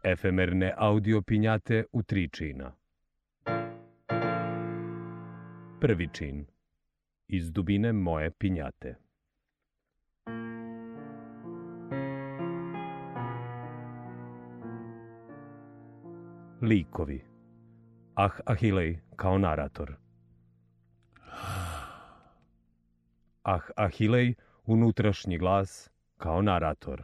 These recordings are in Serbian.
Efemerne audio pinjate u 3 čina. Prvi čin. Iz dubine moje pinjate. Likovi. Ahilej kao narator. Ahilej, unutrašnji glas kao narator.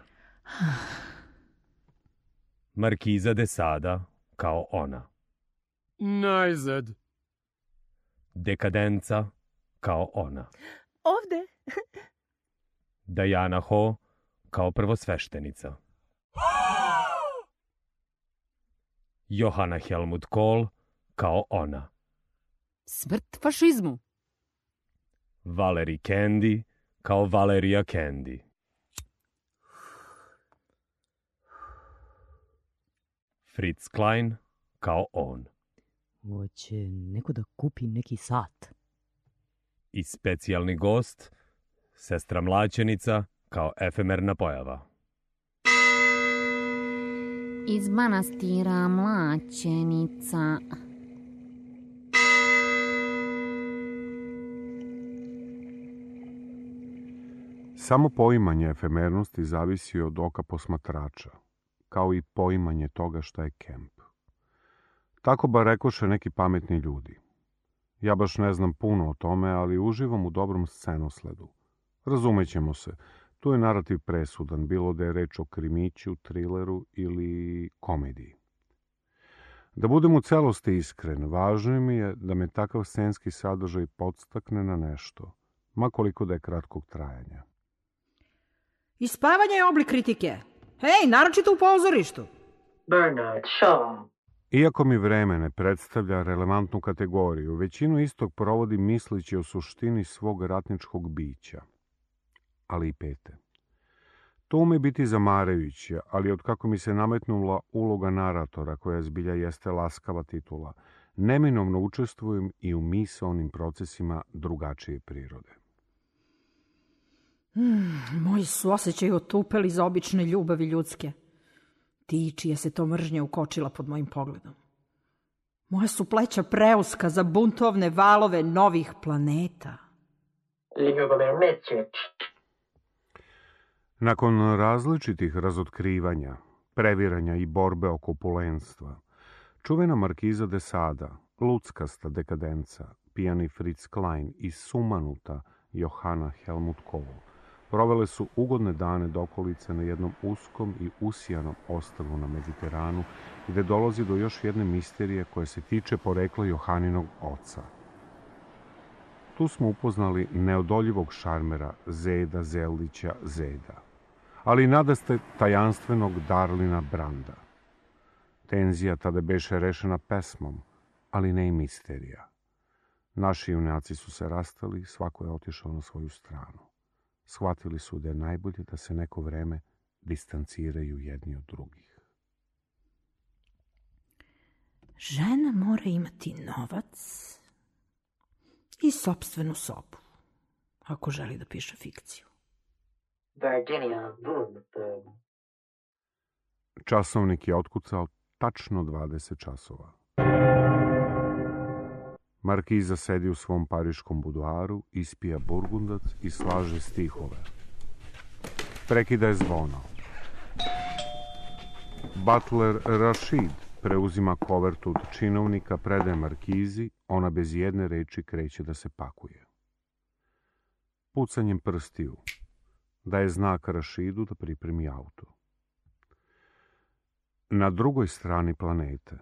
Markiza de Sada kao ona. Najzad. Dekadenca kao ona. Ovde. Diana Ho kao prvosveštenica. Johanna Helmut Kohl kao ona. Smrt fašizmu. Valerie Candy kao Valeria Candy. Fritz Klein kao on. Hoće neko da kupi neki sat. I specijalni gost, sestra Mlaćenica kao efemerna pojava. Iz manastira Mlaćenica. Samo poimanje efemernosti zavisi od oka posmatrača, kao i poimanje toga šta je kemp. Tako bar rekoše neki pametni ljudi. Ja baš ne znam puno o tome, ali uživam u dobrom scenosledu. Razumećemo se, tu je narativ presudan, bilo da je reč o krimiću, trileru ili komediji. Da budem u celosti iskren, važno mi je da me takav scenski sadržaj podstakne na nešto, ma koliko da je kratkog trajanja. Ispavanje je oblik kritike. Hej, naročito u pozorištu. Bernard Shaw. Iako mi vreme ne predstavlja relevantnu kategoriju, većinu istog provodim misleći o suštini svog ratničkog bića, ali i pete. To ume biti zamarajuće, ali otkako mi se nametnula uloga naratora, koja zbilja jeste laskava titula, neminovno učestvujem i u misaonim procesima drugačije prirode. Moji su osjećaji otupeli za obične ljubavi ljudske. Ti čije se to mržnja ukočila pod mojim pogledom. Moja su pleća preuska za buntovne valove novih planeta. Nakon različitih razotkrivanja, previranja i borbe oko opulenstva, čuvena Markiza de Sada, luckasta dekadenca, pijani Fritz Klein i sumanuta Johanna Helmut Kohl provele su ugodne dane dokolice na jednom uskom i usijanom ostrvu na Mediteranu, gde dolazi do još jedne misterije koja se tiče porekla Johaninog oca. Tu smo upoznali neodoljivog šarmera Zeda Zeldića Zeda, ali i nadaste tajanstvenog Darlina Branda. Tenzija tada beše rešena pesmom, ali ne i misterija. Naši junaci su se rastali, svako je otišao na svoju stranu. Shvatili su da je najbolje da se neko vreme distanciraju jedni od drugih. Žena mora imati novac i sopstvenu sobu, ako želi da piše fikciju. Virginia Woolf. Časovnik je otkucao tačno 20 časova. Markiza sedi u svom pariškom buduaru, ispija burgundac i slaže stihove. Prekida je zvono. Butler Rashid preuzima kovertu od činovnika, predaje Markizi, ona bez jedne reči kreće da se pakuje. Pucanjem prstiju daje znak Rashidu da pripremi auto. Na drugoj strani planete,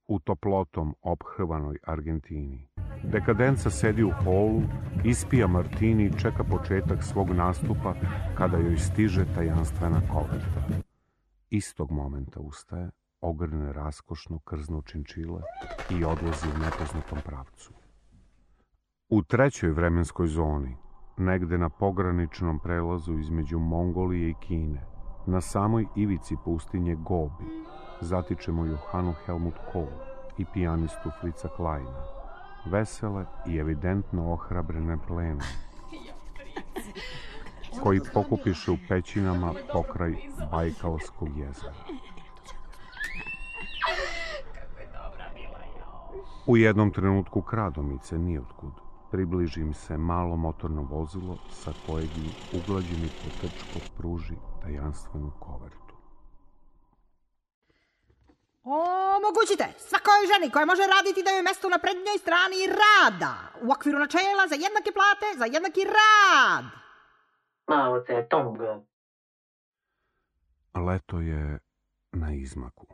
u toplotom ophrvanoj Argentini, dekadenca sedi u holu, ispija martini i čeka početak svog nastupa kada joj stiže tajanstvena koverta. Istog momenta ustaje, ogrne raskošno krzno činčile i odlazi u nepoznatom pravcu. U trećoj vremenskoj zoni, negde na pograničnom prelazu između Mongolije i Kine, na samoj ivici pustinje Gobi, zatičemo Johannu Helmut Kohl i pijanistu Fritza Kleina, vesele i evidentno ohrabrene plenom, koji pokupiše u pećinama pokraj Bajkalskog jezera. U jednom trenutku kradomice nijotkud približi se malo motorno vozilo sa kojeg im uglađeni potrčko pruži tajanstvenu kovertu. Omogućite svakoj ženi koja može raditi da joj mesto na prednjoj strani rada u okviru načela za jednake plate, za jednaki rad. Mao Tse-tung. Leto je na izmaku.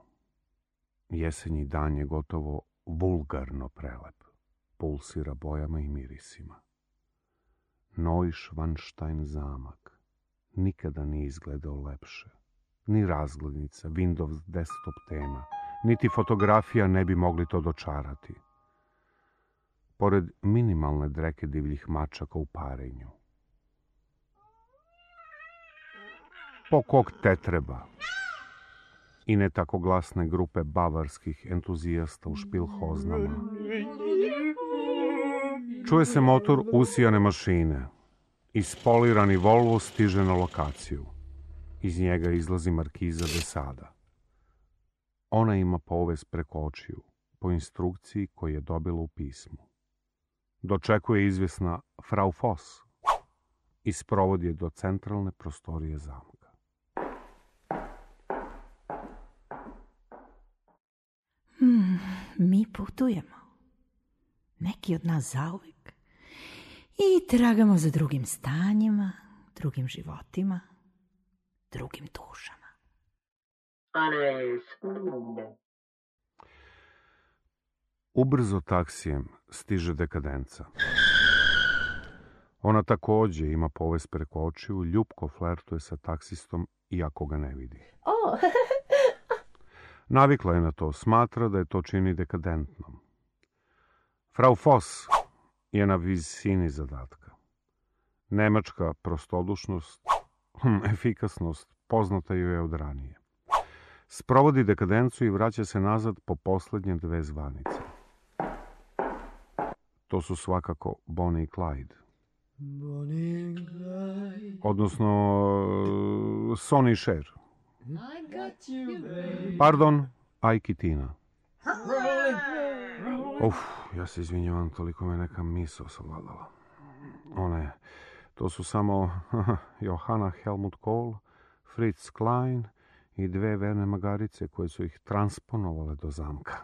Jesenji dan je gotovo vulgarno prelep. Pulsira bojama i mirisima. Neuschwanstein zamak nikada nije izgledao lepše. Ni razglednica, Windows desktop tema, niti fotografija ne bi mogli to dočarati. Pored minimalne dreke divljih mačaka u parenju. Po kog te treba? I ne tako glasne grupe bavarskih entuzijasta u špilhoznama. Čuje se motor usijane mašine. Ispolirani Volvo stiže na lokaciju. Iz njega izlazi Markiza de Sada. Ona ima povez preko očiju, po instrukciji koju je dobila u pismu. Dočekuje izvjesna Frau Voss i sprovodi je do centralne prostorije zamka. Mi putujemo. Neki od nas zauvek. I tragamo za drugim stanjima, drugim životima, drugim dušama. Ale smooth. Ubrzo taksijem stiže dekadenca. Ona također ima povez preko očiju, ljupko flertuje sa taksistom iako ga ne vidi. Navikla je na to, smatra da je to čini dekadentnom. Frau Voss je na visini zadatka. Nemačka prostodušnost, efikasnost, poznata joj je od ranije. Sprovodi dekadencu i vraća se nazad po posljednje 2 zvanice. To su svakako Bonnie i Clyde. Odnosno Sonny i Cher. Pardon, Ike i Tina. Ja se izvinjavam, toliko me neka misao savladala. To su samo Johanna Helmut Kohl, Fritz Klein i 2 verne magarice koje su ih transponovale do zamka.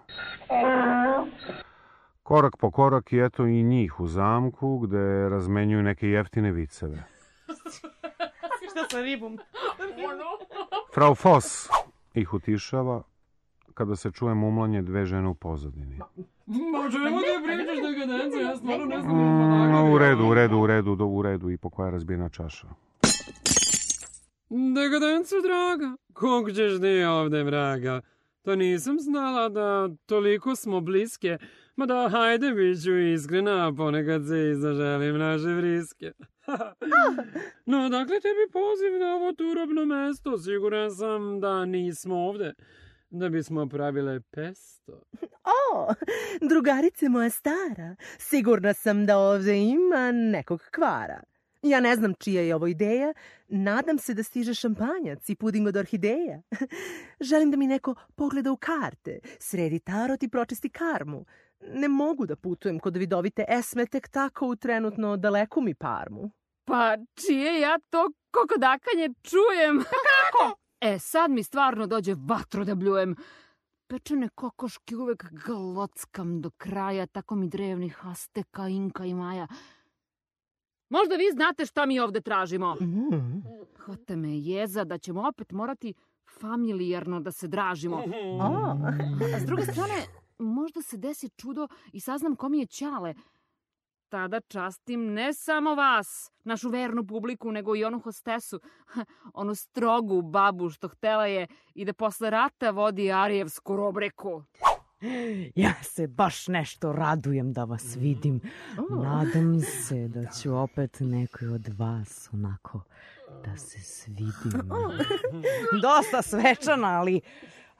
Korak po korak i eto i njih u zamku gde razmenjuju neke jeftine viceve. Šta sa ribom? Frau Voss ih utišava kada se čuje mumlanje 2 žene u pozadini. Ma čemu ti pričaš dekadenca? Ja stvarno ne znam. U redu i po koja je razbijena čaša. Dekadencu, draga, kog ćeš ti ovde, vraga? To nisam znala da toliko smo bliske, ma da hajde bit ću iskrena, ponekad se i zaželim naše vriske. No, dakle, tebi poziv na ovo turobno mesto, siguran sam da nismo ovde, da bismo pravile pesto. Drugarice moja stara, sigurna sam da ovdje ima nekog kvara. Ja ne znam čija je ovo ideja, nadam se da stiže šampanjac i puding od orhideja. Želim da mi neko pogleda u karte, sredi tarot i pročisti karmu. Ne mogu da putujem kod vidovite Esme tek tako u trenutno daleku mi Parmu. Pa čije ja to kokodakanje čujem? Kako? Sad mi stvarno dođe vatro da bljujem. Pečene kokoške uvek galockam do kraja, tako mi drevnih Azteka, Inka i Maja. Možda vi znate šta mi ovde tražimo. Hvata me jeza da ćemo opet morati familijarno da se dražimo. A s druge strane, možda se desi čudo i saznam ko mi je Ćale. Tada častim ne samo vas, našu vernu publiku, nego i onu hostesu, onu strogu babu što htela je i da posle rata vodi arijevsku robreku. Ja se baš nešto radujem da vas vidim. Nadam se da ću opet nekoj od vas onako da se svidim. Dosta svečana,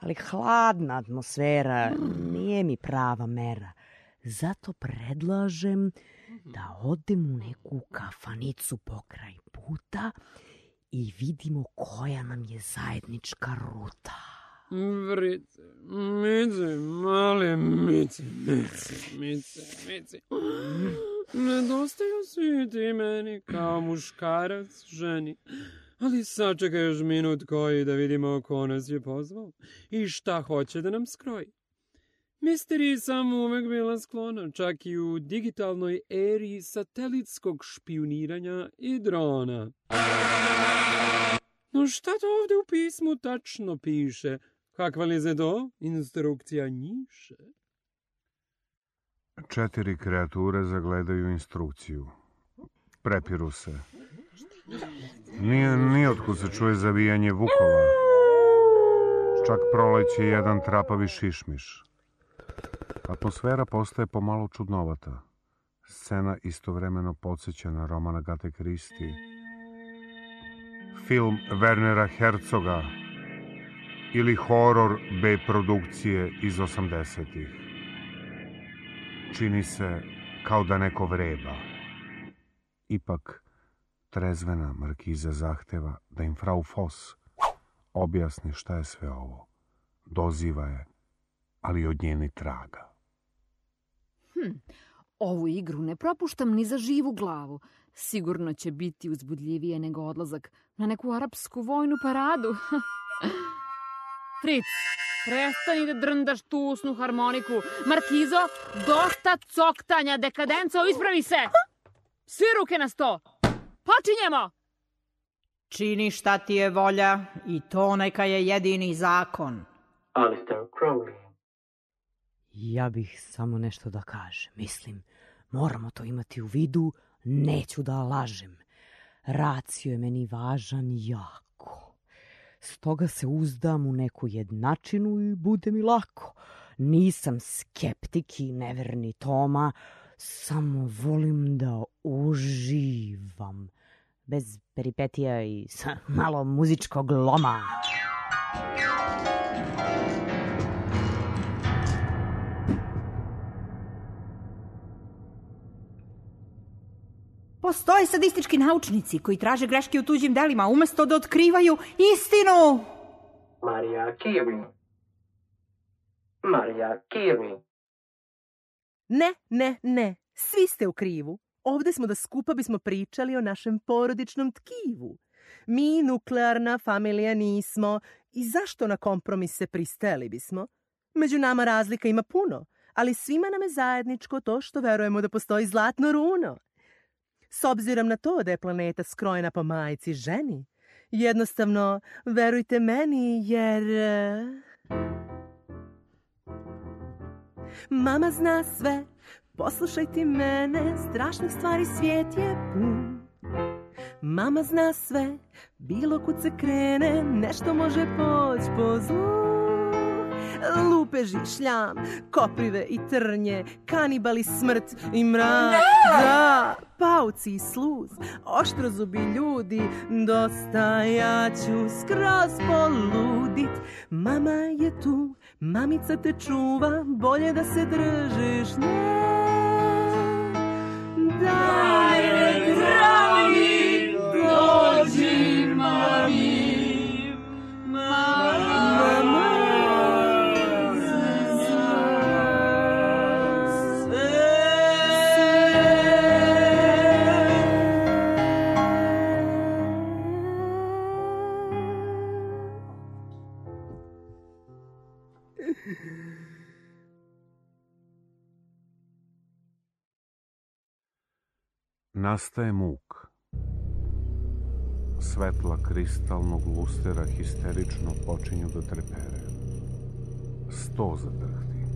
ali hladna atmosfera nije mi prava mera. Zato predlažem da odem u neku kafanicu pokraj puta i vidimo koja nam je zajednička ruta. Vrice, Mici, mali Mici. Nedostaju svi ti meni kao muškarac ženi. Ali sačekaj još minut koji da vidimo ko nas je pozvao i šta hoće da nam skroji. Misteriji sam uvek bila sklona, čak i u digitalnoj eri satelitskog špijuniranja i drona. No šta to ovde u pismu tačno piše? Kakva li je to instrukcija njiše? 4 kreature zagledaju instrukciju. Prepiru se. Nije otkud se čuje zavijanje vukova. Čak proleće jedan trapavi šišmiš. Atmosfera postaje pomalo čudnovata. Scena istovremeno podsjeća na roman Agate Christie, film Wernera Herzoga ili horor B produkcije iz 80-ih. Čini se kao da neko vreba. Ipak, trezvena markiza zahteva da im frau Foss objasni šta je sve ovo. Doziva je, ali od nje ni traga. Ovu igru ne propuštam ni za živu glavu. Sigurno će biti uzbudljivije nego odlazak na neku arapsku vojnu paradu. Fritz, prestani da drndaš tu usnu harmoniku. Markizo, dosta coktanja, dekadenco, ispravi se! Svi ruke na sto! Počinjemo! Čini šta ti je volja i to neka je jedini zakon. Alistair Crowley. Ja bih samo nešto da kažem. Mislim, moramo to imati u vidu, neću da lažem. Racio je meni važan jako. Stoga se uzdam u neku jednačinu i bude mi lako. Nisam skeptik i neverni Toma, samo volim da uživam. Bez peripetija i sa malo muzičkog loma. Postoje sadistički naučnici koji traže greške u tuđim delima umesto da otkrivaju istinu. Maria Curie. Maria Curie. Ne. Svi ste u krivu. Ovde smo da skupa bismo pričali o našem porodičnom tkivu. Mi nuklearna familija nismo i zašto na kompromise pristajali bismo? Među nama razlika ima puno, ali svima nam je zajedničko to što verujemo da postoji zlatno runo. S obzirom na to da je planeta skrojena po majci ženi, jednostavno verujte meni jer... Mama zna sve, poslušaj ti mene, strašnih stvari svijet je pun. Mama zna sve, bilo kud se krene, nešto može poći po zlu. Lupeži, šljam, koprive i trnje, kanibali, smrt i mrak. Da, pauci i sluz, oštrozubi ljudi, dosta ja ću skroz poludit. Mama je tu, mamica te čuva, bolje da se držiš nje. Daj, dragi, dođi, mami. Nastaje muk. Svetla kristalnog lustera histerično počinju da trepere. Sto zadrhti.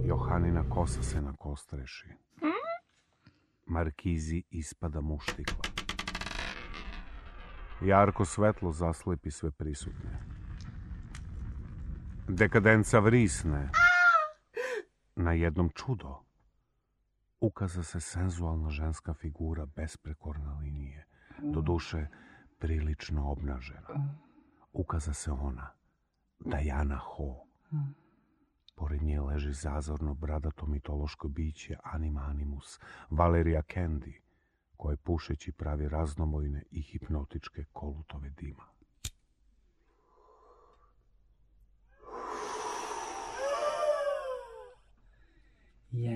Johanina kosa se nakostreši. Markizi ispada muštikla. Jarko svetlo zaslepi sve prisutne. Dekadenca vrisne. Na jednom čudo. Ukaza se senzualna ženska figura besprekorne linije, doduše prilično obnažena. Ukaza se ona, Diana Ho. Pored nje leži zazorno bradato mitološko biće Anima Animus, Valeria Candy, koje pušeći pravi raznomojne i hipnotičke kolutove dima.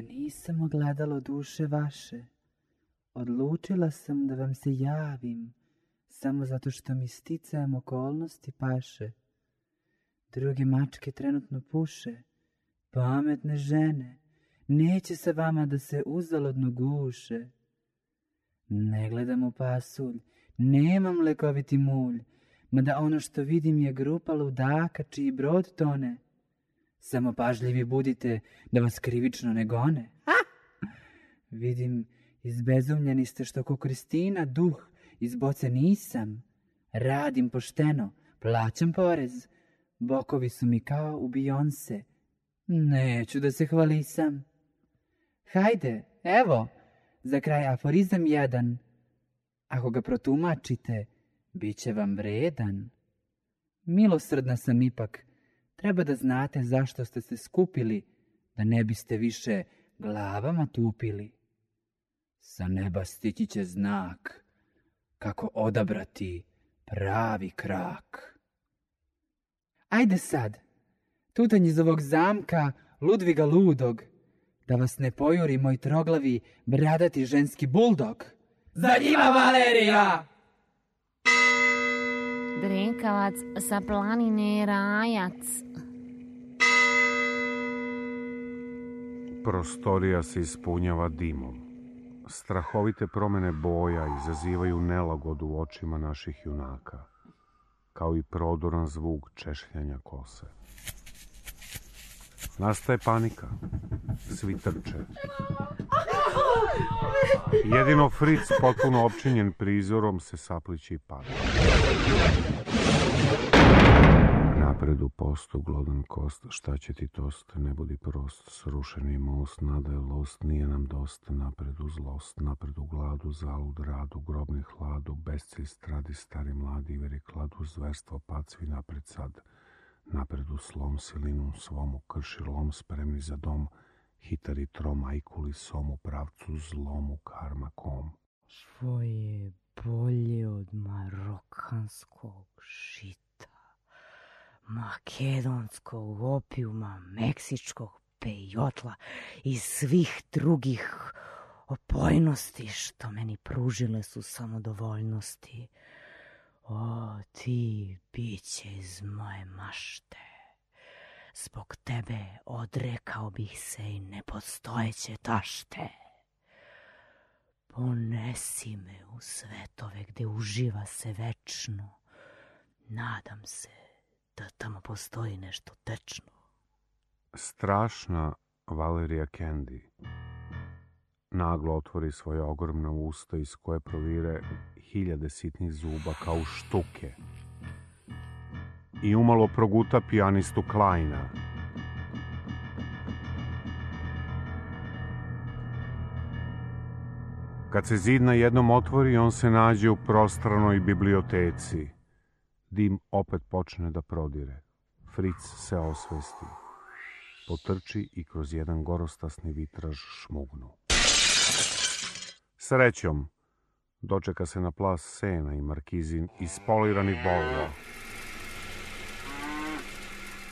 Ja nisam ogledalo duše vaše. Odlučila sam da vam se javim, samo zato što mi sticajem okolnosti paše. Druge mačke trenutno puše, pametne žene, neće sa vama da se uzaludno guše. Ne gledam u pasulj, nemam lekoviti mulj, mada ono što vidim je grupa ludaka čiji brod tone. Samo pažljivi budite da vas krivično ne gone. Vidim, izbezumljeni ste što ko Kristina, duh, iz boce nisam. Radim pošteno, plaćam porez, bokovi su mi kao u Beyoncé. Neću da se hvalisam. Hajde, evo, za kraj aforizam jedan. Ako ga protumačite, bit će vam vredan. Milosrdna sam ipak, treba da znate zašto ste se skupili, da ne biste više glavama tupili. Sa neba stići će znak, kako odabrati pravi krak. Ajde sad, tutanj iz ovog zamka Ludviga ludog, da vas ne pojuri moj troglavi bradati ženski buldog. Za njima, Valerija! Drekavac sa planine Rajac. Prostorija se ispunjava dimom. Strahovite promene boja izazivaju nelagodu u očima naših junaka, kao i prodoran zvuk češljanja kose. Nastaje panika. Svi trče. Jedino Fritz, potpuno opčinjen prizorom, se saplići i pada. Napred u postu, glodan kost, šta će ti tost, ne budi prost, srušeni most, nada je lost, nije nam dosta, napred u zlost, napred u gladu, zalud, radu, grobni hladu, bescilj, stradi, stari, mladi, veri, kladu, zverstvo, pad, svi napred sad, napred u slom, silinu svomu, krši lom, spremni za dom, hitari trom, ajkuli som u pravcu zlomu, karma kom. Što je bolje od marokanskog žita, makedonskog opijuma, meksičkog pejotla i svih drugih opojnosti što meni pružile su samodovoljnosti. O, ti biće iz moje mašte. Zbog tebe odrekao bih se i nepostojeće tašte. Ponesi me u svetove gde uživa se večno. Nadam se da tamo postoji nešto tečno. Strašna Valerija Candy naglo otvori svoje ogromna usta iz koje provire hiljade sitnih zuba kao štuke i umalo proguta pijanistu Kleina. Kad se zid na jednom otvori, on se nađe u prostranoj biblioteci. Dim opet počne da prodire. Fritz se osvesti. Potrči i kroz jedan gorostasni vitraž šmugnu. Srećom, dočeka se na plas Sena i Markizin ispolirani Volvo.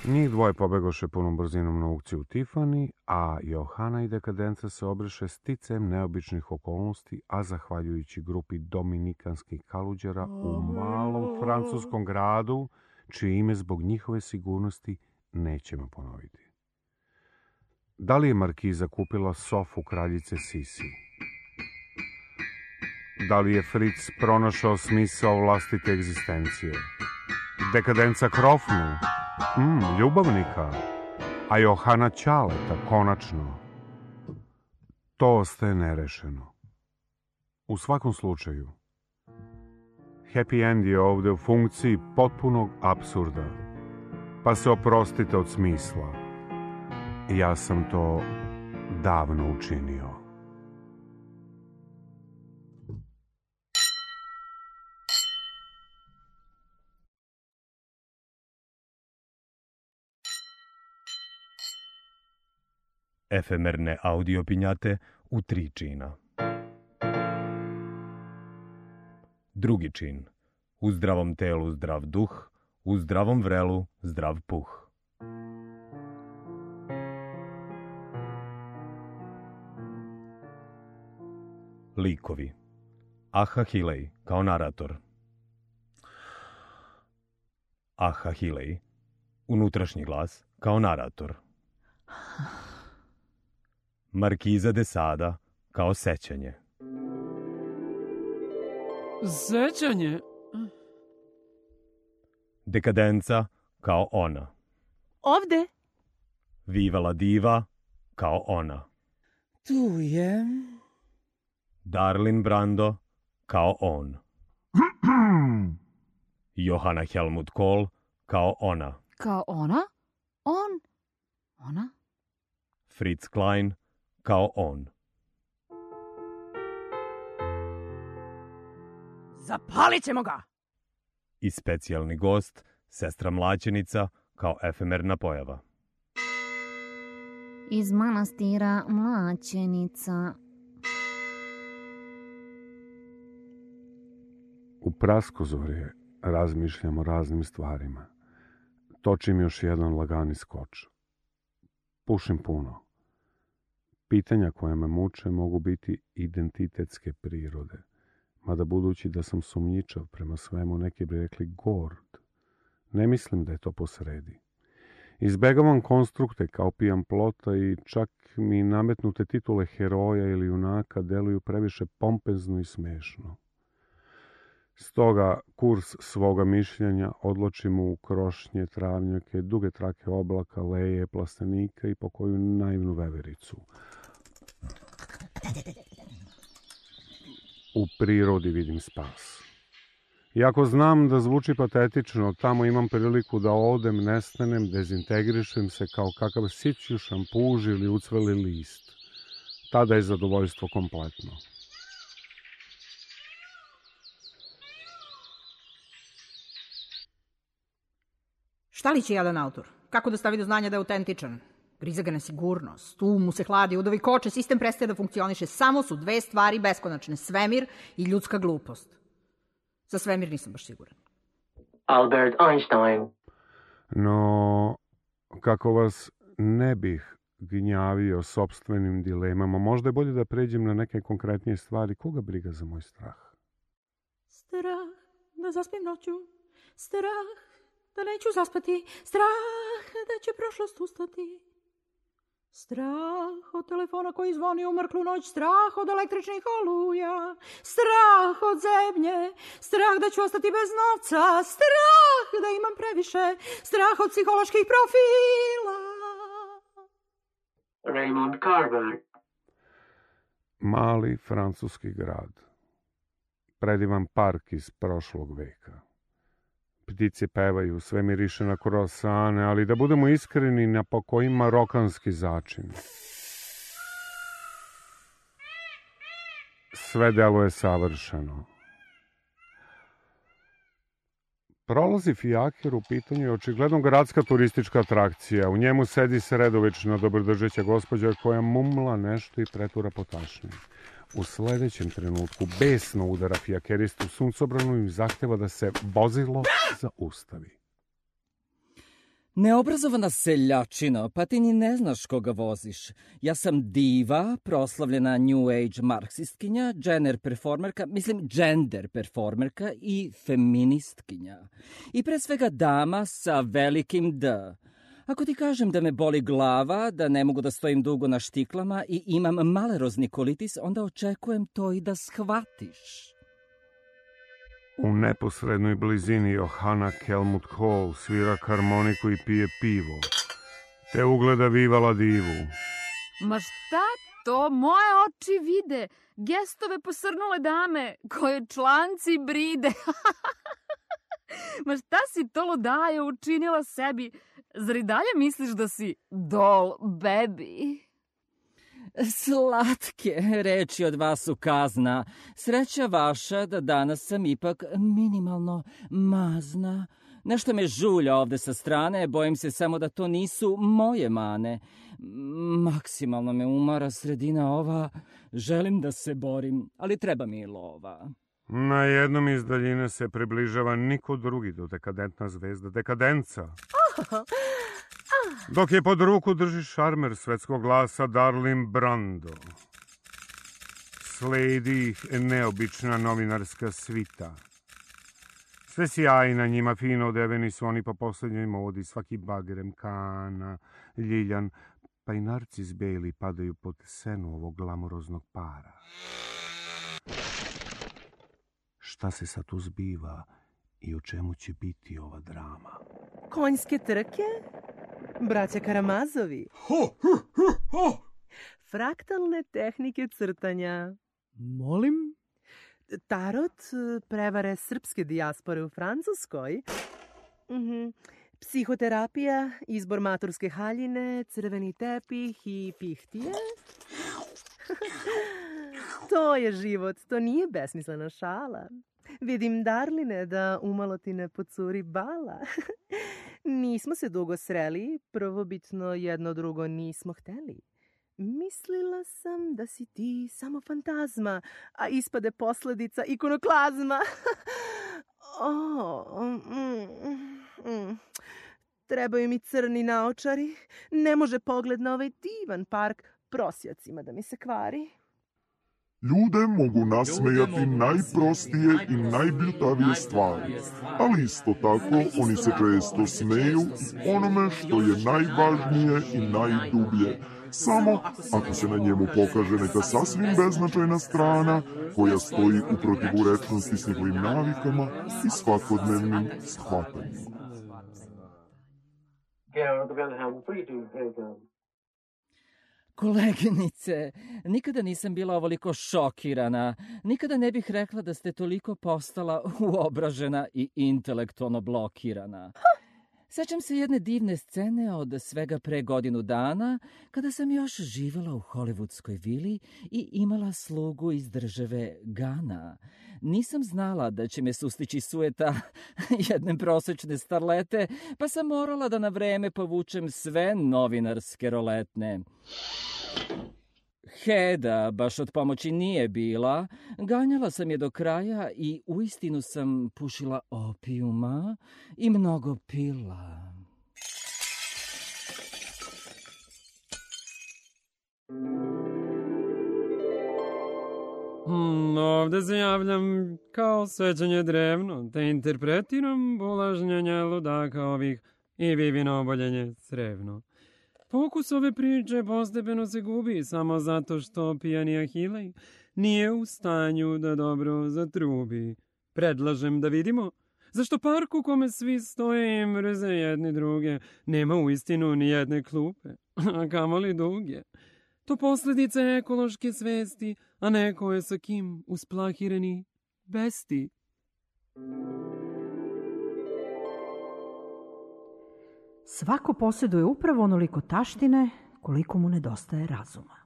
Njih dvoje pobegoše punom brzinom na aukciju Tiffany, a Johana i Dekadenca se obreše sticajem neobičnih okolnosti, a zahvaljujući grupi dominikanskih kaluđera u malom francuskom gradu, čije ime zbog njihove sigurnosti nećemo ponoviti. Da li je Markiza kupila sofu kraljice Sisi? Da li je Fritz pronašao smisao vlastite egzistencije? Dekadenca krofnu? Ljubavnika? A Johana Ćaleta, konačno? To ostaje nerešeno. U svakom slučaju, happy end je ovde u funkciji potpunog apsurda. Pa se oprostite od smisla. Ja sam to davno učinio. Efemerne audio pinjate u 3 čina. Drugi čin. U zdravom telu zdrav duh, u zdravom vrelu zdrav puh. Likovi. Ahahilej kao narator. Ahahilej, unutrašnji glas, kao narator. Markiza de Sada kao sećanje. Sećanje? Dekadenca kao ona. Ovde. Vivala diva kao ona. Tu je. Darlin Brando kao on. Johanna Helmut Kohl kao ona. Kao ona? On? Ona? Fritz Klein kao on. Zapalit ćemo ga! I specijalni gost, sestra mlaćenica kao efemerna pojava. Iz manastira Mlaćenica. U praskozorje razmišljam o raznim stvarima. Točim još jedan lagani skoč. Pušim puno. Pitanja koja me muče mogu biti identitetske prirode. Mada budući da sam sumnjičav prema svemu, neki bi rekli gord. Ne mislim da je to posredi. Izbegavam konstrukte kao pijan plota i čak mi nametnute titule heroja ili junaka deluju previše pompezno i smešno. Stoga kurs svoga mišljenja odločim u krošnje, travnjake, duge trake oblaka, leje, plastenika i pokoju naivnu vevericu. U prirodi vidim spas. Iako znam da zvuči patetično, tamo imam priliku da odem, nestanem, dezintegrišem se kao kakav sićušan puž ili ucveli list. Tada je zadovoljstvo kompletno. Šta li će jadan autor? Kako da stavi do znanja da je autentičan? Griza ga nesigurnost, mu se hladi, udovi koče, sistem prestaje da funkcioniše. Samo su dve stvari beskonačne, svemir i ljudska glupost. Za svemir nisam baš siguran. Albert Einstein. No, kako vas ne bih gnjavio sopstvenim dilemama, možda je bolje da pređem na neke konkretnije stvari. Koga briga za moj strah? Strah da zaspim noću, strah da neću zaspati, strah da će prošlost ustati. Strah od telefona koji zvoni u mrklu noć, strah od električnih oluja, strah od zemlje, strah da ću ostati bez novca, strah da imam previše, strah od psiholoških profila. Raymond Carver. Mali francuski grad. Predivan park iz prošlog veka. Ptice pevaju, sve miriše na krosane, ali da budemo iskreni, na pokoji marokanski začin. Sve deluje savršeno. Prolazi fijaker, u pitanju je očigledno gradska turistička atrakcija. U njemu sedi sredovečna dobrodržeća gospođa koja mumla nešto i pretura po tašni. U sledećem trenutku besno udara fijakeristu suncobranu i zahteva da se vozilo zaustavi. Neobrazovana seljačina, pa ti ni ne znaš koga voziš. Ja sam diva, proslavljena New Age marksistkinja, gender performerka i feministkinja. I pre svega dama sa velikim D. Ako ti kažem da me boli glava, da ne mogu da stojim dugo na štiklama i imam malerozni kolitis, onda očekujem to i da shvatiš. U neposrednoj blizini Johanna Helmut Kohl svira harmoniku i pije pivo, te ugleda Vivala divu. Ma šta to? Moje oči vide. Gestove posrnule dame, koje članci bride. Ma šta si to ludaje učinila sebi? Zar i dalje misliš da si doll baby? Slatke reči od vas su kazna. Sreća vaša da danas sam ipak minimalno mazna. Nešto me žulja ovde sa strane, bojim se samo da to nisu moje mane. Maksimalno me umara sredina ova. Želim da se borim, ali treba mi i lova. Na jednom iz daljine se približava niko drugi do dekadentna zvezda, dekadenca. Dok je pod ruku drži šarmer svetskog glasa Darlin Brando. Sledi ih neobična novinarska svita. Sve sjaji na njima, fino odeveni su oni po posljednjoj modi, svaki bagrem, kana, ljiljan, pa i narcis beli padaju pod senu ovog glamuroznog para. Šta se sad tu zbiva i o čemu će biti ova drama? Konjske trke? Braća Karamazovi? Fraktalne tehnike crtanja. Molim? Tarot, prevare srpske dijaspore u Francuskoj. Psihoterapija, izbor maturske haljine, crveni tepih i pihtije. To je život, to nije besmislena šala. Vidim, Darline, da umalo ti ne pocuri bala. Nismo se dugo sreli, prvobitno jedno drugo nismo hteli. Mislila sam da si ti samo fantazma, a ispade posledica ikonoklazma. Trebaju mi crni naočari. Ne može pogled na ovaj divan park prosjacima da mi se kvari. Ljude mogu nasmejati najprostije i najbljutavije stvari, ali isto tako oni se često smeju i onome što je najvažnije i najdublje. Samo ako se na njemu pokaže neka sasvim beznačajna strana koja stoji u protivurečnosti s njihovim navikama i svakodnevnim shvatanjima. Koleginice, nikada nisam bila ovoliko šokirana. Nikada ne bih rekla da ste toliko postala uobražena i intelektualno blokirana. Sećam se jedne divne scene od svega pre godinu dana, kada sam još živjela u hollywoodskoj vili i imala slugu iz države Gana. Nisam znala da će me sustići sueta jedne prosečne starlete, pa sam morala da na vreme povučem sve novinarske roletne. Heda baš od pomoći nije bila, ganjala sam je do kraja i uistinu sam pušila opijuma i mnogo pila. Ovde se javljam kao sećanje drevno, te interpretiram bulažnjenje ludaka ovih i Vivino oboljenje crevno. Fokus ove priče postepeno se gubi samo zato što pijani Ahilej nije u stanju da dobro zatrubi. Predlažem da vidimo zašto park u kome svi stoje i mrze jedni druge nema uistinu ni jedne klupe, a kamoli duge. To posljedica ekološke svesti, a neko je sa kim usplahireni besti. Svako posjeduje upravo onoliko taštine koliko mu nedostaje razuma.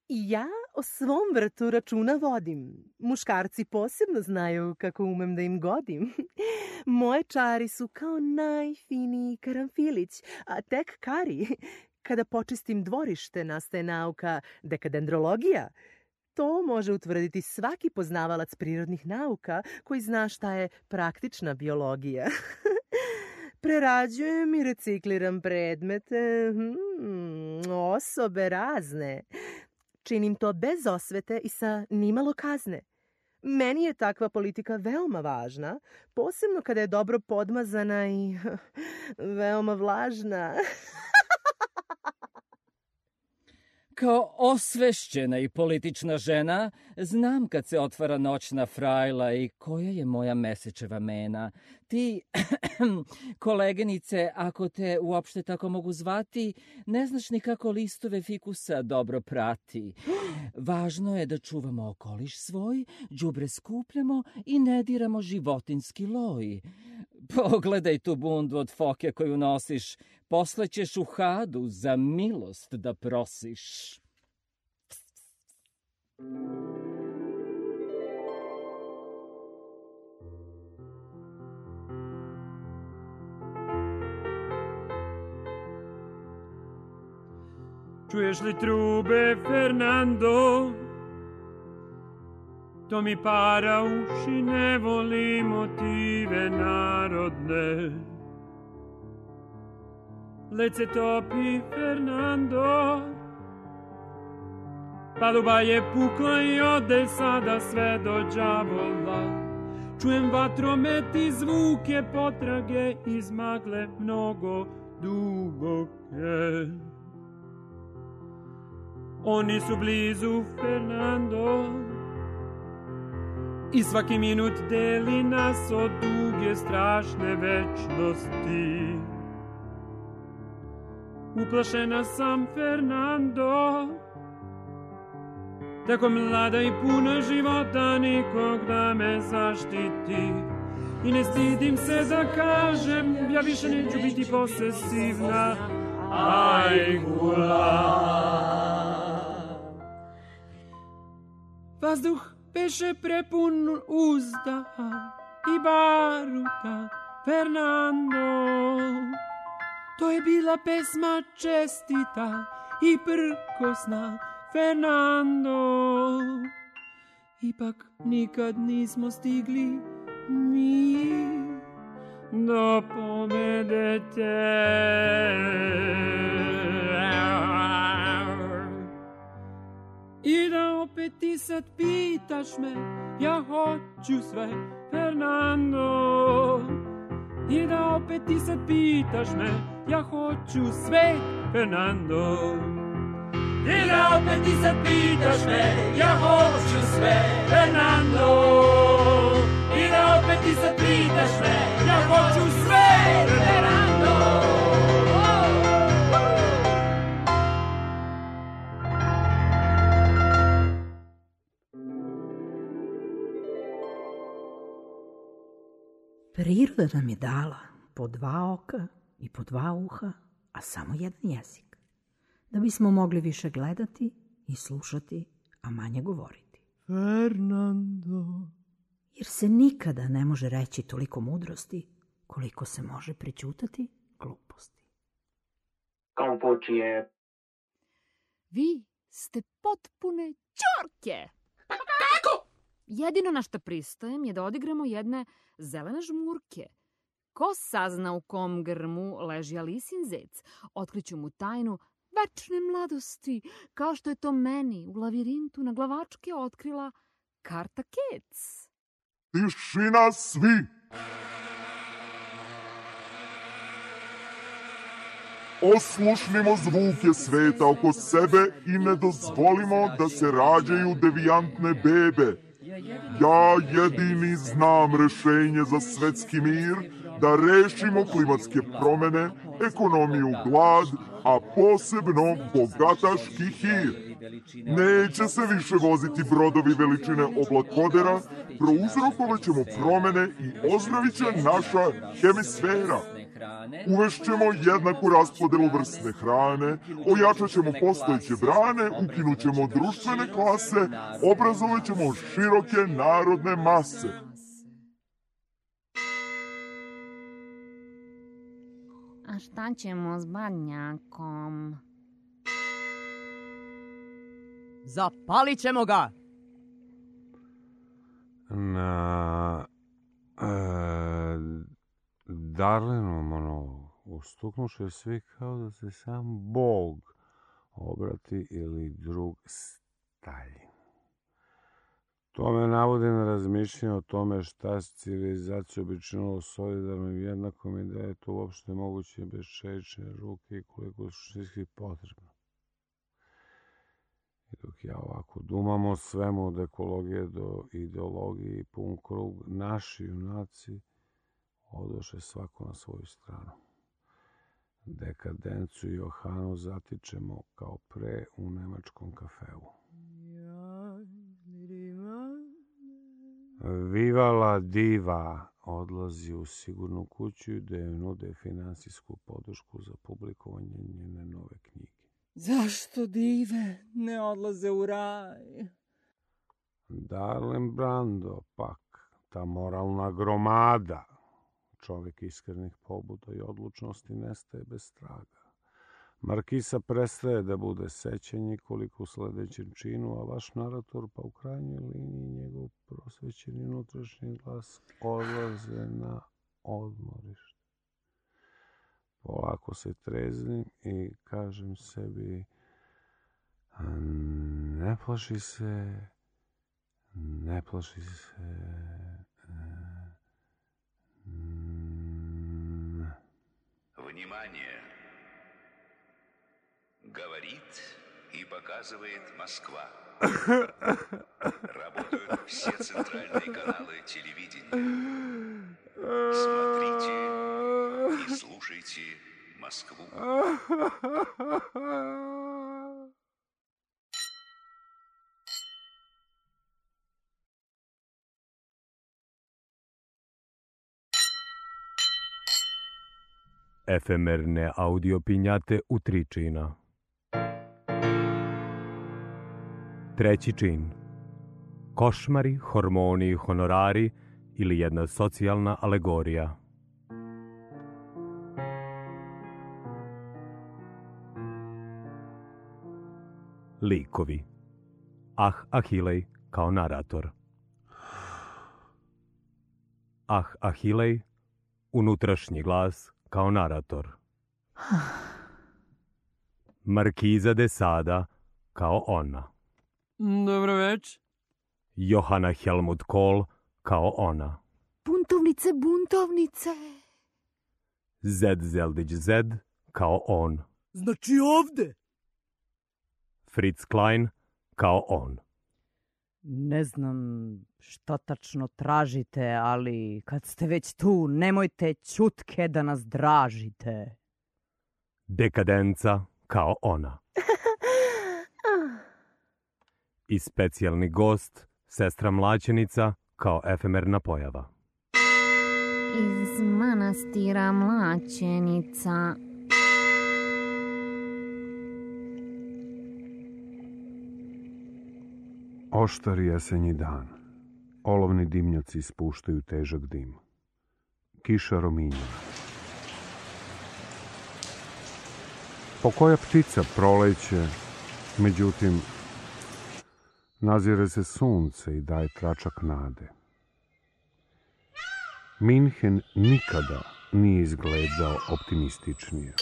I ja o svom vrtu računa vodim. Muškarci posebno znaju kako umem da im godim. Moje čari su kao najfiniji karanfilić, a tek kari. Kada počistim dvorište, nastaje nauka dekadendrologija. To može utvrditi svaki poznavalac prirodnih nauka koji zna šta je praktična biologija. Prerađujem i recikliram predmete, osobe razne. Činim to bez osvete i sa nimalo kazne. Meni je takva politika veoma važna, posebno kada je dobro podmazana i veoma vlažna. Kao osvešćena i politična žena, znam kad se otvara noćna frajla i koja je moja mesečeva mena. Ti, koleginice, ako te uopšte tako mogu zvati, ne znaš ni kako listove fikusa dobro prati. Važno je da čuvamo okoliš svoj, đubre skupljamo i ne diramo životinski loj. Pogledaj tu bundu od foke koju nosiš, posle ćeš u Hadu za milost da prosiš. Čuješ li trube, Fernando? To mi para uši, ne voli motive narodne. Led se topi, Fernando, Paluba je pukla i ode sada sve do đavola. Čujem vatromet i zvuke potrage iz magle mnogo duboke. Oni su blizu, Fernando, i svaki minut deli nas od duge strašne večnosti. Uplašena sam, Fernando, tako mlada i puna života, nikog da me zaštiti. I ne stidim se da kažem, ja više neću biti posesivna. Ajgula. Vazduh beše prepun uzdaha i baruta, Fernando. To je bila pesma čestita i prkosna, Fernando. Ipak nikad nismo stigli mi do pobede te. I da opet ti sad pitaš me, ja hoću sve, Fernando. I da opet ti sad pitaš me, ja hoću sve, Fernando. I da opet ti sad pitaš me, ja hoću sve, Fernando. I da opet ti sad pitaš me, ja hoću sve, Fernando. Priroda nam je dala po 2 oka i po 2 uha, a samo jedan jezik, da bismo mogli više gledati i slušati, a manje govoriti. Fernando. Jer se nikada ne može reći toliko mudrosti koliko se može prećutati gluposti. Kampučije. Vi ste potpune ćorke. Kako? Jedino na što pristajem je da odigramo jedne zelene žmurke. Ko sazna u kom grmu leži Alisin zec, otkriću mu tajnu večne mladosti, kao što je to meni u lavirintu na glavačke otkrila karta Kec. Tišina svi! Oslušnimo zvuke sveta oko sebe i ne dozvolimo da se rađaju devijantne bebe. Ja jedini znam rešenje za svetski mir, da rešimo klimatske promene, ekonomiju, glad, a posebno bogataški hir. Neće se više voziti brodovi veličine oblakodera, prouzrokovaćemo promene i ozdravit će naša hemisfera. Uvešćemo jednaku raspodelu vrstne hrane, ojačat ćemo postojeće brane, ukinut ćemo društvene klase, obrazovat ćemo široke narodne mase. A šta ćemo s Badnjakom? Zapalit ćemo ga! Darlenom, ustuknuše svi kao da se sam Bog obrati ili drug Stalin. To me navodi na razmišljanje o tome šta se civilizacija običinilo solidarno i jednakom i da je to uopšte moguće bez čelične ruke i koliko je suštinski potrebno. I dok ja ovako dumam o svemu od ekologije do ideologije i pun krug, naši junaci odoše svako na svoju stranu. Dekadencu i Johanu zatičemo kao pre u nemačkom kafeu. Vivala diva odlazi u sigurnu kuću da joj nude finansijsku podršku za publikovanje njene nove knjige. Zašto dive ne odlaze u raj? Darlen Brando, pak, ta moralna gromada. Čovjek iskrenih pobuda i odlučnosti nestaje bez traga. Markisa prestaje da bude sećanje koliko u sledećem činu, a vaš narator pa u krajnjoj liniji njegov prosvećeni unutrašnji glas odlaze na odmorište. Polako se treznim i kažem sebi, Ne plaši se, ne plaši se. Внимание! Говорит и показывает Москва. Работают все центральные каналы телевидения. Смотрите и слушайте Москву. Efemerne audio pinjate u 3 čina. Treći čin. Košmari, hormoni i honorari ili jedna socijalna alegorija. Likovi. Ahilej kao narator. Ahilej, unutrašnji glas kao narator. Markiza de Sada kao ona. Dobro već. Johana Helmut Kohl kao ona. Buntovnice, buntovnice. Zed Zeldić Zed kao on. Znači ovde. Fritz Klein kao on. Ne znam šta tačno tražite, ali kad ste već tu, nemojte ćutke da nas dražite. Dekadenca kao ona. I specijalni gost, sestra mlaćenica kao efemerna pojava. Iz manastira Mlaćenica. Oštar jesenji dan. Olovni dimnjaci ispuštaju težak dim. Kiša rominja. Pokoja ptica proleće, međutim, nazire se sunce i daje tračak nade. Minhen nikada nije izgledao optimističnije.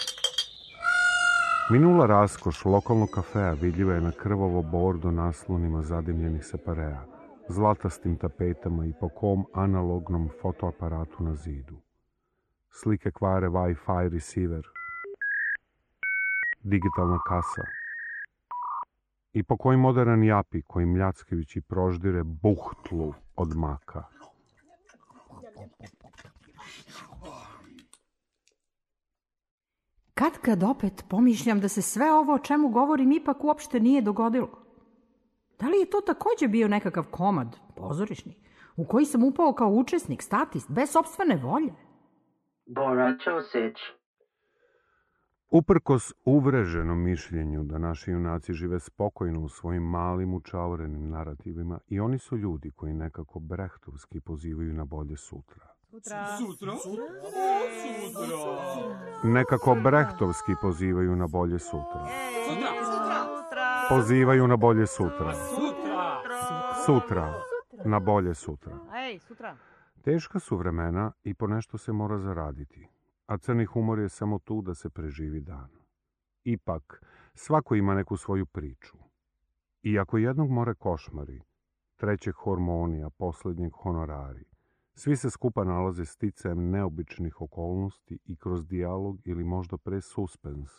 Minula raskoš lokalnog kafea vidljiva je na krvavo bordo naslonima zadimljenih separea, zlatastim tapetama i po kom analognom fotoaparatu na zidu. Slike kvare Wi-Fi receiver, digitalna kasa i po koji modern japi koji mljackajući proždire buhtlu od maka. Kad opet pomišljam da se sve ovo o čemu govorim ipak uopšte nije dogodilo. Da li je to takođe bio nekakav komad, pozorišni, u koji sam upao kao učesnik, statist, bez sopstvene volje? Bora Ćosić. Uprkos uvreženom mišljenju da naši junaci žive spokojno u svojim malim učaurenim narativima, i oni su ljudi koji nekako brehtovski pozivaju na bolje sutra. Sutra? Nekako brehtovski pozivaju na bolje sutra. Pozivaju na bolje sutra. Sutra. Na bolje sutra. Teška su vremena i po nešto se mora zaraditi, a crni humor je samo tu da se preživi dan. Ipak, svako ima neku svoju priču. I ako jednog more košmari, trećeg hormoni, a poslednjeg honorari, svi se skupa nalaze sticajem neobičnih okolnosti i kroz dijalog ili možda pre suspens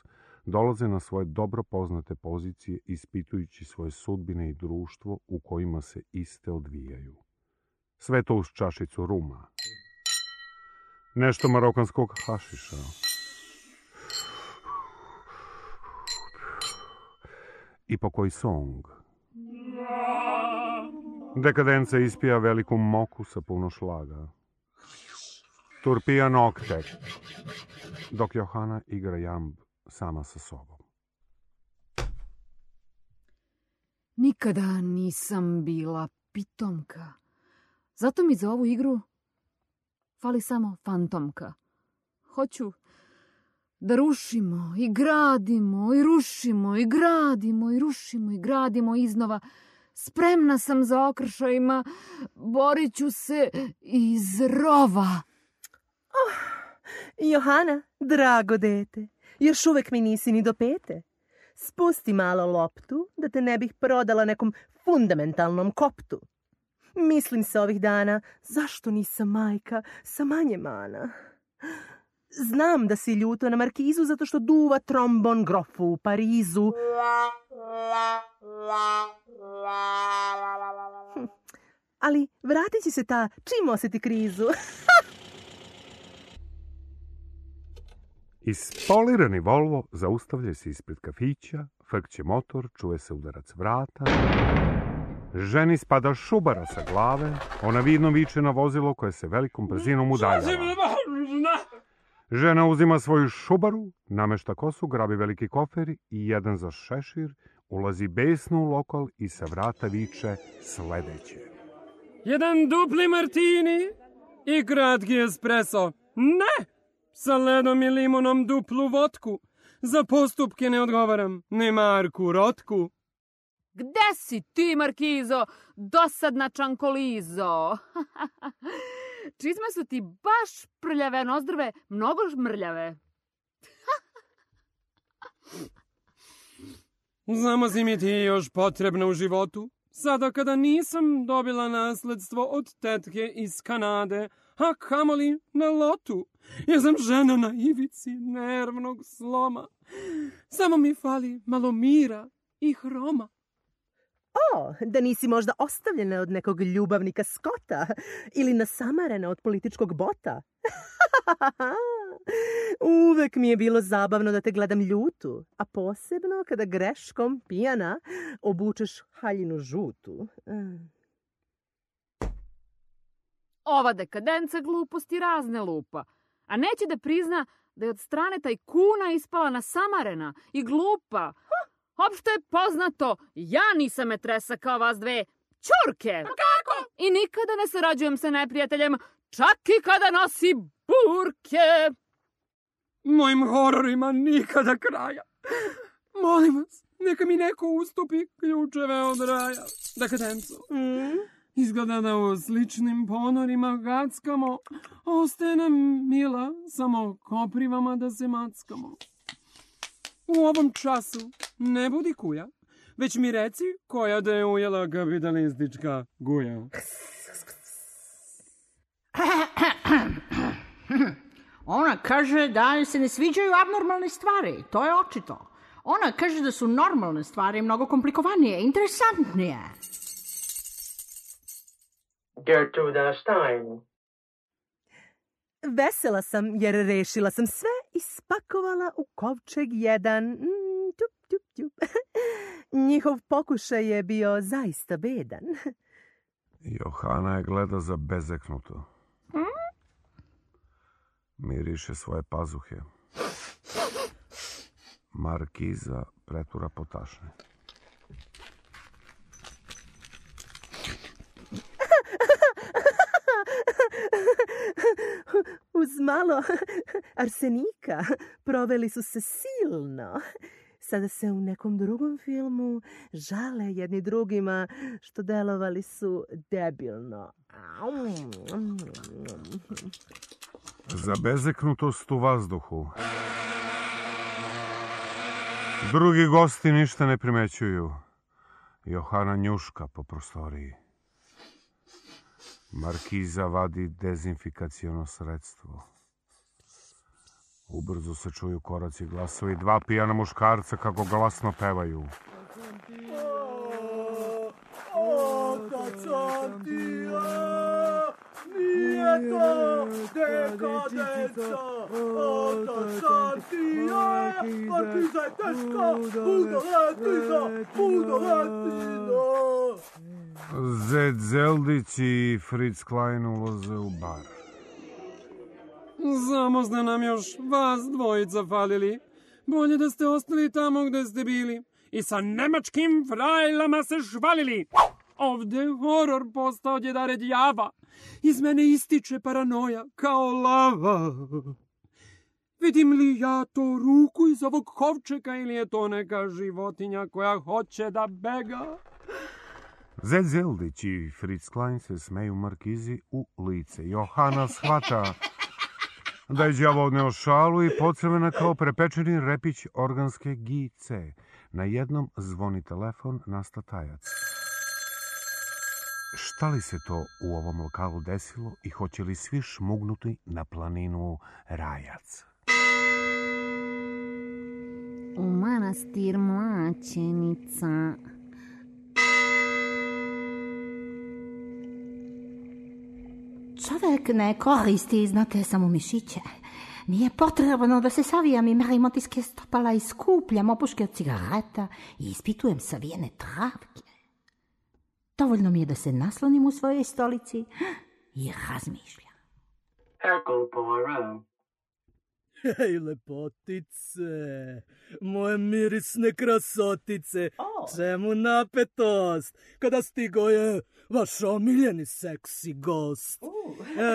dolaze na svoje dobro poznate pozicije ispitujući svoje sudbine i društvo u kojima se iste odvijaju. Sve to uz čašicu ruma. Nešto marokanskog hašiša. I po koji song. Dekadenca ispija veliku moku sa puno šlaga. Turpija nokte, dok Johana igra jamb sama sa sobom. Nikada nisam bila pitomka. Zato mi za ovu igru fali samo fantomka. Hoću da rušimo i gradimo i rušimo i gradimo i rušimo i gradimo iznova. Spremna sam za okršajima, borit ću se iz rova. Johana, drago dete, još uvek mi nisi ni do 5. Spusti malo loptu da te ne bih prodala nekom fundamentalnom koptu. Mislim se ovih dana, zašto nisam majka sa manje mana? Znam da si ljuto na Markizu zato što duva trombon grofu u Parizu. Ali vratit će se ta čim osjeti krizu. Ispolirani Volvo zaustavlja se ispred kafića, frkće motor, čuje se udarac vrata. Ženi spada šubara sa glave, ona vidno viče na vozilo koje se velikom brzinom udaljava. Žena uzima svoju šubaru, namešta kosu, grabi veliki kofer i jedan za šešir, ulazi besno u lokal i sa vrata viče sledeće. Jedan dupli martini i kratki espresso. Ne! Sa ledom i limunom duplu vodku. Za postupke ne odgovaram, ne Marku Rotku. Gde si ti, Markizo, dosadna čankolizo? Čizme su ti baš prljave, nozdrve, mnogo mrljave. Znamo si mi ti još potrebna u životu. Sada kada nisam dobila nasledstvo od tetke iz Kanade, a kamoli na lotu. Ja sam žena na ivici nervnog sloma. Samo mi fali malo mira i hroma. O, da nisi možda ostavljena od nekog ljubavnika Skota ili nasamarena od političkog bota. Uvek mi je bilo zabavno da te gledam ljutu, a posebno kada greškom, pijana, obučeš haljinu žutu. Ova dekadenca gluposti razne lupa, a neće da prizna da je od strane tajkuna ispala nasamarena i glupa. Opšte je poznato, ja nisam metresa kao vas dve ćurke. Kako? I nikada ne sarađujem sa neprijateljem, čak i kada nosi burke. Mojim hororima nikada kraja. Molim vas, neka mi neko ustupi ključeve od raja. Dekadenco. Izgleda da u sličnim ponorima gackamo. Ostaje nam, mila, samo koprivama da se mackamo. U ovom času ne budi kuja, već mi reci koja da je ujela kapitalistička guja. Ona kaže da joj se ne sviđaju abnormalne stvari, to je očito. Ona kaže da su normalne stvari mnogo komplikovanije, interesantnije. Gertruda Stein. Vesela sam jer rešila sam sve i spakovala u kovčeg jedan. Njihov pokušaj je bio zaista bedan. Johana je gleda za bezeknuto. Miriše svoje pazuhe. Markiza pretura potašne. Uz malo arsenika proveli su se silno. Sada se u nekom drugom filmu žale jedni drugima što delovali su debilno. Za bezeknutost u vazduhu. Drugi gosti ništa ne primećuju. Johana njuška po prostoriji. Markiza vadi dezinfikaciono sredstvo. Ubrzo se čuju koraci, glasovi, dva pijana muškarca kako glasno pevaju. Otac Antija, nije to dekadenca. Otac Antija, Markiza je teška, pudoletina. Zed Zeldić i Fritz Klein ulaze u bar. Zamozne nam još vas dvojica falili. Bolje da ste ostali tamo gde ste bili i sa nemačkim frajlama se švalili. Ovde horor postao djedare djava. Iz mene ističe paranoja kao lava. Vidim li ja to ruku iz ovog kovčeka ili je to neka životinja koja hoće da bega? Zed Zeldić i Fritz Klein se smeju Markizi u lice. Johana shvata da je đavo odneo šalu i pocrvena kao prepečeni repić organske gice. Najednom zvoni telefon na statajac. Šta li se to u ovom lokalu desilo i hoće li svi šmugnuti na planinu Rajac? U manastir Mlaćenica. Čovek ne koristi, znate, samo mišiće. Nije potrebno da se savijam i merim otiske stopala i skupljam opuške od cigareta i ispitujem savijene travke. Dovoljno mi je da se naslonim u svojoj stolici i razmišljam. Hercule Poirot. Hej, lepotice, moje mirisne krasotice, čemu napetost, kada stigo je vaš omiljeni seksi gost.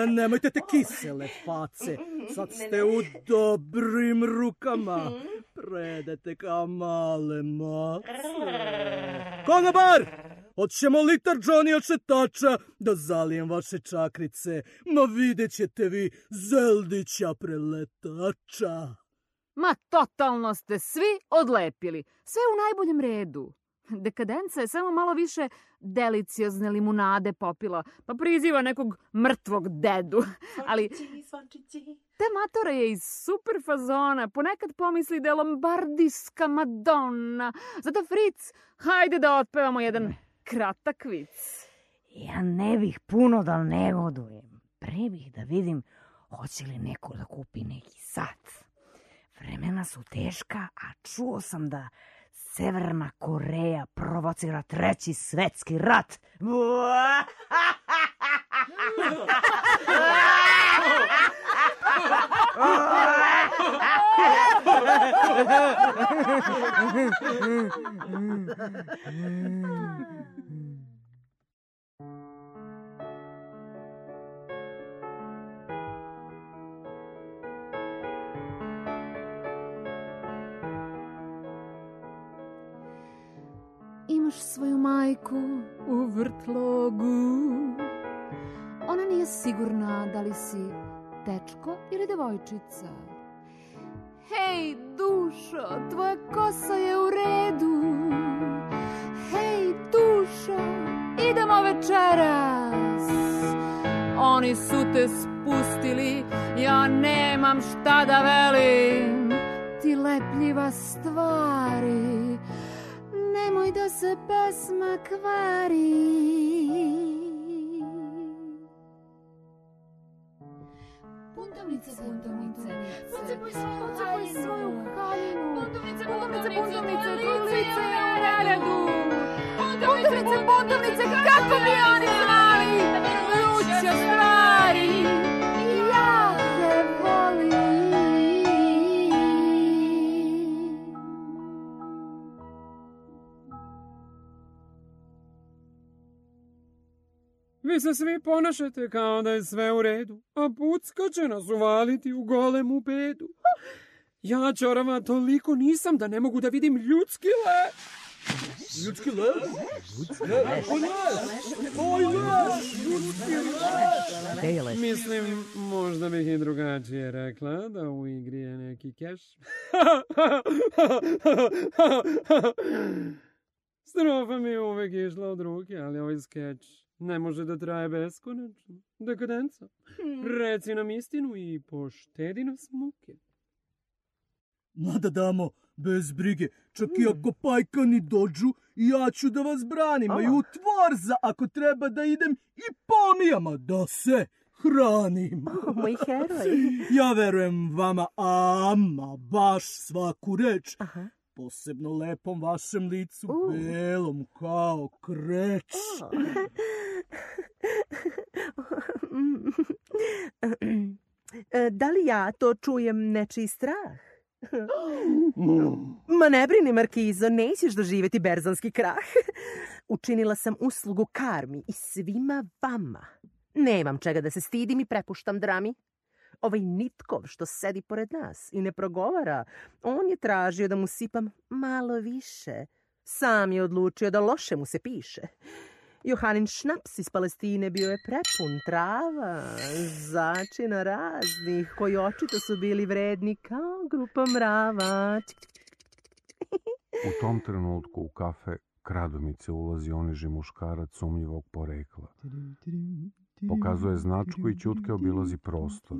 Nemojte te kisele face, sad ste u dobrim rukama, predete kao male mace. Konobar! Hoćemo litar Johnny očetača da zalijem vaše čakrice. Ma vidjet ćete vi Zeldića preletača. Ma totalno ste svi odlepili. Sve u najboljem redu. Dekadenca je samo malo više deliciozne limunade popila, pa priziva nekog mrtvog dedu. Ali ta matora je iz super fazona. Ponekad pomisli da je lombardijska Madonna. Zato, Fritz, hajde da otpevamo jedan kratak vic. Ja ne bih puno da negodujem. Pre bih da vidim hoće li neko da kupi neki sat. Vremena su teška, a čuo sam da Severna Koreja provocira 3. svetski rat. Imaš svoju majku u vrtlogu. Ona nije sigurna da li si dečko ili devojčica. Hej, dušo, tvoja kosa je u redu. Hej, dušo, idemo večeras. Oni su te spustili, ja nemam šta da velim. Ti lepljiva stvari, nemoj da se pesma kvari. Buntovnice, buntovnice, pocepuj svoju haljinu. Buntovnice, tvoj lice je u redu. Buntovnice, kako bi oni znali vruće stvari. Ja te volim. Vi se svi ponašate kao da je sve u redu, a pucka će nas uvaliti u golemu bedu. Ja, čorava, toliko nisam da ne mogu da vidim ljudski lep. Ljudski lep? Oj, lep! Mislim, možda bih i drugačije rekla da u igri je neki keš. Strofa mi je uvek išla od ruke, ali ovaj skeč ne može da traje beskonačno. Dekadenca. Reci nam istinu i poštedi nas muke. Mada damo, bez brige, čak i ako pajkani dođu, ja ću da vas branim, a i u tvorza ako treba da idem i pomijama da se hranim. Moj heroj. Ja verujem vama, ama baš svaku reč. Posebno lepom vašem licu, belom kao kreč. Da li ja to čujem nečiji strah? Ma ne brini, Markizo, nećeš doživjeti berzanski krah. Učinila sam uslugu karmi i svima vama. Nemam čega da se stidim i prepuštam drami. Ovaj Nitkov što sedi pored nas i ne progovara, on je tražio da mu sipam malo više. Sam je odlučio da loše mu se piše. Johanin šnaps iz Palestine bio je prepun trava, začina raznih, koji očito su bili vredni kao grupa mrava. U tom trenutku u kafe Kradomice ulazi oniži muškarac sumnjivog porekla. Pokazuje značku i ćutke obilazi prostor,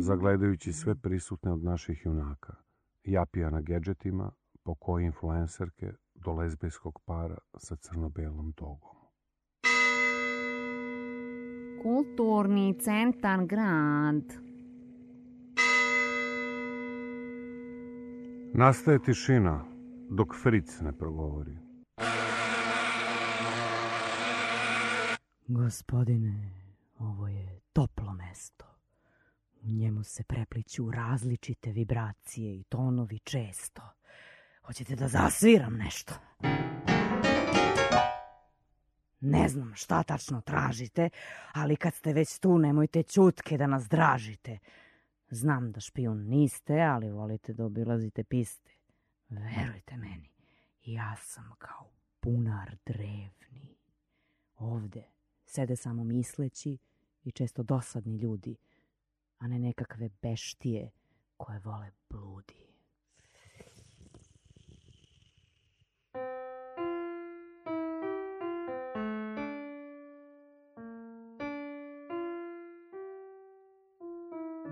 zagledajući sve prisutne od naših junaka. Japija na gedžetima, po koji influencerke do lezbijskog para sa crno-belom dogom. Kulturni centar grad. Nastaje tišina, dok Fric ne progovori. Gospodine, ovo je toplo mesto. U njemu se prepliću različite vibracije i tonovi često. Hoćete da zasviram nešto? Ne znam šta tačno tražite, ali kad ste već tu, nemojte ćutke da nas dražite. Znam da špijun niste, ali volite da obilazite piste. Verujte meni, ja sam kao bunar drevni. Ovde sede samo misleći i često dosadni ljudi, a ne nekakve beštije koje vole bludi.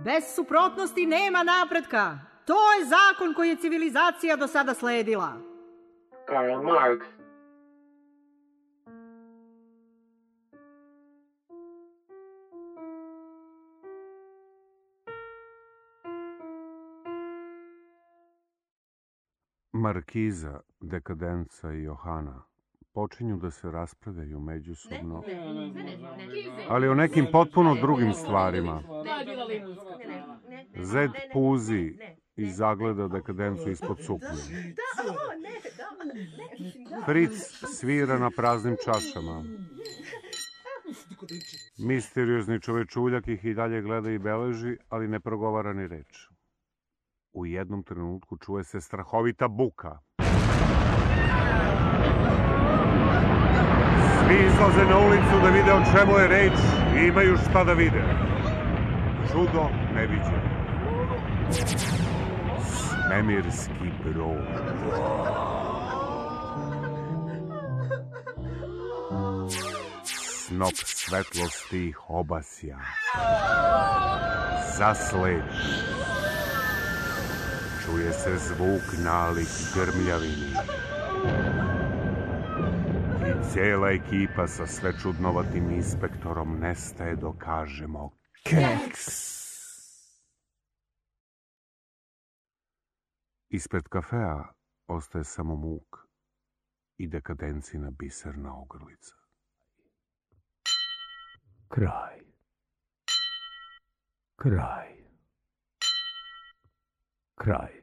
Bez suprotnosti nema napretka. To je zakon koji je civilizacija do sada sledila. Karl Marx. Markiza, Dekadenca i Johana počinju da se raspravljaju međusobno, ali o nekim potpuno drugim stvarima. Zed puzi i zagleda Dekadencu ispod suknje. Fric svira na praznim čašama. Misteriozni čovečuljak ih i dalje gleda i beleži, ali ne progovara ni reč. U jednom trenutku čuje se strahovita buka. Svi izlaze na ulicu da vide o čemu je reč i imaju šta da vide. Čudo neviđeno. Svemirski brod. Snop svetlosti ih obasja. Zasledi. Čuje se zvuk nalik grmljavini. I cijela ekipa sa sve čudnovatim inspektorom nestaje dok kažemo keks. Ispred kafea ostaje samo muk i Dekadencina biserna ogrlica. Kraj. Kraj. Kraj.